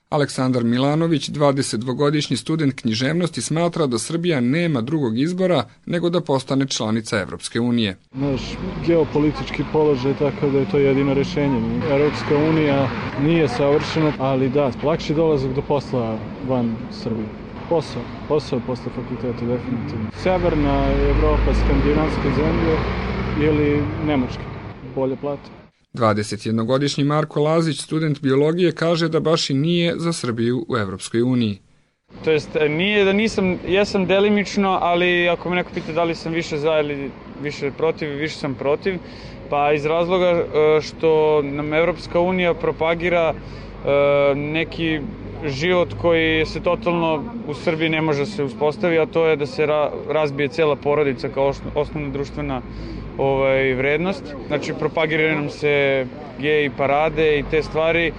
Aleksandar Milanović, 22-godišnji student književnosti, smatra da Srbija nema drugog izbora nego da postane članica Evropske unije. Naš geopolitički položaj je tako da je to jedino rešenje. Evropska unija nije savršena, ali da, lakši dolazak do posla van Srbije. Posao posle fakulteta, definitivno. Severna Evropa, skandinavske zemlje ili Nemačka, bolje plate. 21-godišnji Marko Lazić, student biologije, kaže da baš i nije za Srbiju u Evropskoj uniji. To jest, nije da nisam, jesam delimično, ali ako me neko pita da li sam više za ili više protiv, više sam protiv, pa iz razloga što nam Evropska unija propagira neki život koji se totalno u Srbiji ne može se uspostaviti, a to je da se razbije cela porodica kao osnovna društvena vrednost. Znači, propagira nam se gej parade i te stvari,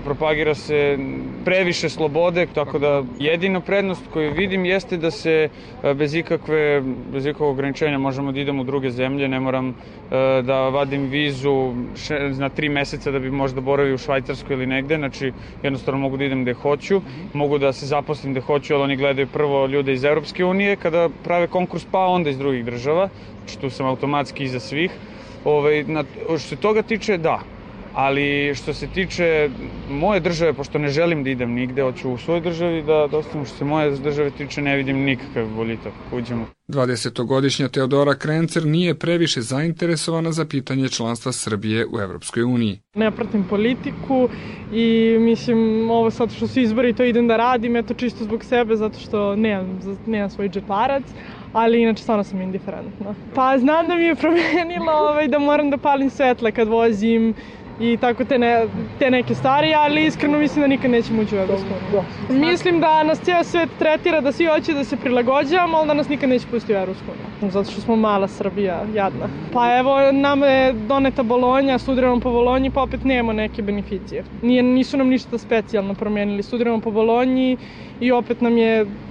propagira se previše slobode, tako da jedina prednost koju vidim jeste da se bez ikakvog ograničenja možemo da idemo u druge zemlje, ne moram da vadim vizu na 3 meseca da bi možda boravio u Švajcarskoj ili negde, znači jednostavno mogu da idem gde hoću, mogu da se zaposlim gde hoću, ali oni gledaju prvo ljude iz Evropske unije kada prave konkurs, pa onda iz drugih država, znači tu sam automatski iza svih. Što se toga tiče, da. Ali što se tiče moje države, pošto ne želim da idem nigde, hoću u svojoj državi da ostanem, što se moje države tiče, ne vidim nikakav boljitak. Uđemo. 20-godišnja Teodora Krencer nije previše zainteresovana za pitanje članstva Srbije u Evropskoj uniji. Ne pratim politiku i mislim ovo sad što su izbori to idem da radim, eto čisto zbog sebe, zato što nemam svoj džeparac. Ali inače stvarno sam indiferentna. Pa znam da mi je promenilo da moram da palim svetla kad vozim i tako te neke stvari, ali iskreno mislim da nikad nećemo ući u Evropsku uniju. Mislim da nas cijel svet tretira da svi hoće da se prilagođavamo, ali da nas nikad neće pustiti u Evropsku uniju. Zato što smo mala Srbija, jadna. Pa evo, nama je doneta Bolonja, studiramo po Bolonji, pa opet nemamo neke beneficije. Nisu nam ništa specijalno promenili. Studiramo po Bolonji i opet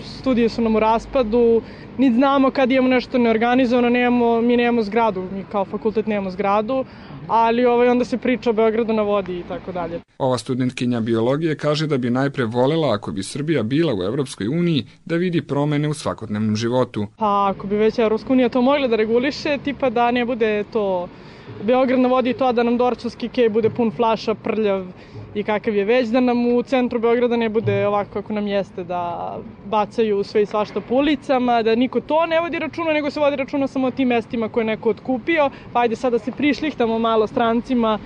studije su nam u raspadu, niti znamo kad imamo nešto neorganizovano, mi nemamo zgradu, mi kao fakultet nemamo zgradu, ali onda se priča o Beogradu na vodi i tako dalje. Ova studentkinja biologije kaže da bi najpre volela, ako bi Srbija bila u Evropskoj uniji, da vidi promene u svakodnevnom životu. Pa ako bi već Evropska unija to mogla da reguliše, tipa da ne bude to Beograd na vodi, to da nam Dorćolski kej bude pun flaša, prljav i kakav je već, da nam u centru Beograda ne bude ovako kako nam jeste, da bacaju sve i svašta po ulicama, da niko to ne vodi računa, nego se vodi računa samo o tim mestima koje je neko otkupio, pa ajde sada se prišlihtamo malo strancima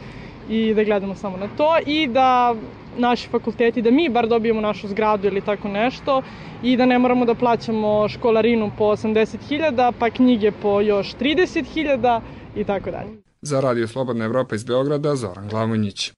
i da gledamo samo na to i da naši fakulteti, da mi bar dobijemo našu zgradu ili tako nešto i da ne moramo da plaćamo školarinu po 80.000, pa knjige po još 30.000 i tako dalje. Za Radio Slobodna Evropa iz Beograda, Zoran Glavonjić.